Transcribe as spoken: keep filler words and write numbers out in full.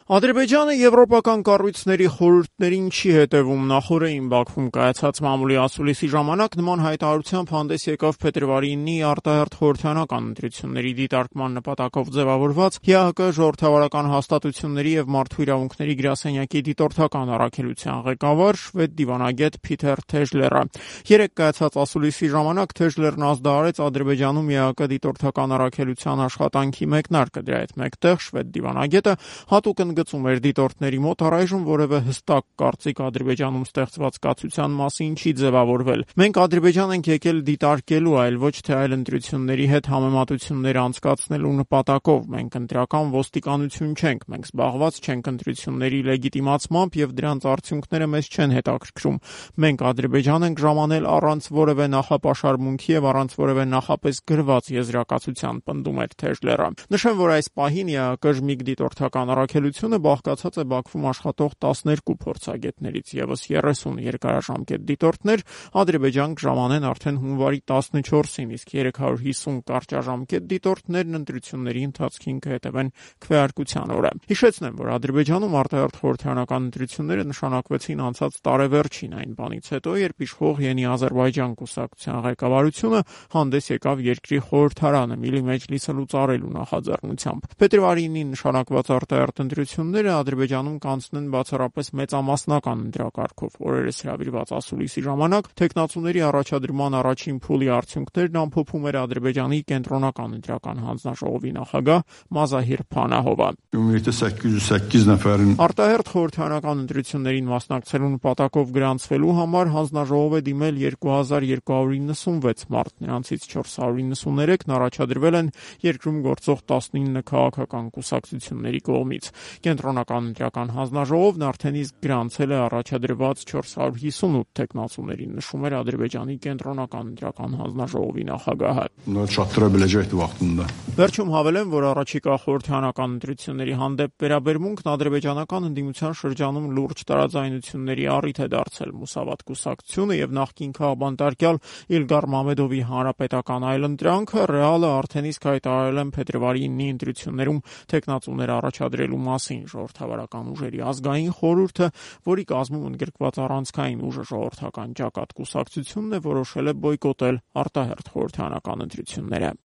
Ադրբեջանը եվրոպական կառույցների խորհուրդներին չի հետևում։ Նախօրեին Բաքվում կայացած մամուլի ասուլիսի ժամանակ նման հայտարարությամբ հանդես եկավ փետրվարի ինի արտահերթ խորհրդարանական ընտրությունների դիտարկման նպատակով ձևավորված ՀԱԿ ժողովրդավարական հաստատությունների եւ մարդու իրավունքների գրասենյակի դիտորդական առաքելության ղեկավար շվեդ դիվանագետ Փիթեր Թեժլերը։ Երեկ կայացած ասուլիսի ժամանակ Թեժլերն ազդարարեց Ադրբեջանում ՀԱԿ դիտորդական առաքելության աշխատանքի մեկնարկը։ Դրա հետ մեկտեղ շվեդ դիվանագետը հատուկ գծում էր դիտորդների մոտ առայժմ որևէ հստակ կարծիք Ադրբեջանում ստեղծված կացության մասին չի ձևավորվել։ Մենք Ադրբեջան ենք եկել դիտարկելու, այլ ոչ թե այլ ընտրությունների հետ համեմատություններ անցկացնելու նպատակով։ Մենք ընտրական ոստիկանություն չենք, մենք զբաղված չենք ընտրությունների լեգիտիմացմամբ եւ դրանց արդյունքները մեզ չեն հետաքրքրում։ Մենք Ադրբեջան ենք ժամանել առանց որևէ նախապաշարմունքի եւ առանց որևէ նախապես գրված եզրակացության, պնդում էր Թեժլերը։ Նշեմ, որ այս պահին ՀԱԿ ժմիգ դիտորդական առաքելությունը բաղկացած է Բաքվում աշխատող տասներկու փորձագետներից, եւս երեսուն երկարաժամկետ դիտորդներ Ադրբեջան կժամանեն արդեն հունվարի տասնչորսին, իսկ երեք հարյուր հիսուն կարճաժամկետ դիտորդներն ընտրությունների ընթացքին կհետևեն քվեարկության օրը։ Հիշեցնեմ, որ Ադրբեջանում արտահերթ խորհրդարանական ընտրությունները նշանակվեցին անցած տարեվերջին, այն բանից հետո, երբ իշխող Յենի Ազերբայջան կուսակցության ղեկավարությունը հանդես եկավ երկրի խորհրդարանը Միլի Մեջլիսը լուծարելու նախաձեռնությամբ։ Փետրվարի ինին նշանակված արտահերթ ընտրությունները Ադրբեջանում կանցնեն բացառապես մեծամասնական ընտրակարգով։ Օրերս հրավիրված ասուլիսի ժամանակ թեկնածուների առաջադրման առաջին փուլի արդյունքներն ամփոփում էր Ադրբեջանի կենտրոնական ընտրական հանձնաժողովի նախագահ Մազահիր Փանահովը։ Արտահերթ խորհրդարանական ընտրություններին մասնակցելու նպատակով գրանցվելու համար հանձնաժողով է դիմել երկու հազար երկու հարյուր իննսունվեց մարդ, նրանցից չորս հարյուր իննսուններեքն առաջադրվել են երկրում գործող տասնինը քաղաքական կուսակցությունների կողմից։ Կենտրոնական ընտրական հանձնաժողովն արդեն իսկ գրանցել է առաջադրված չորս հարյուր հիսունութ թեկնածուներին, նշում էր Ադրբեջանի կենտրոնական ընտրական հանձնաժողովի նախագահը։ Վերջում հավելեմ, որ առաջիկա խորհրդարանական ընտրությունների հանդեպ վերաբերմունքն ադրբեջանական ընդդիմության շրջանում լուրջ տարաձայնությունների առիթ է դարձել։ Մուսավատ կուսակցությունը եւ նախկին քաղբանտարկյալ Իլգար Մամեդովի հանրապետական այլընտրանքը ռեալը արդեն իսկ հայտարարել են փետրվարի ինի ընտրություններում թեկնածուներ առաջադրելու մասին։ Ժողովրդավարական ուժերի ազգային խորհուրդը, որի կազմում ընդգրկված առանցքային ուժը ժողովրդական ճակատ կուսակցությունն է, որոշել է բոյկոտել արտահերթ խորհրդարանական ընտրությունները։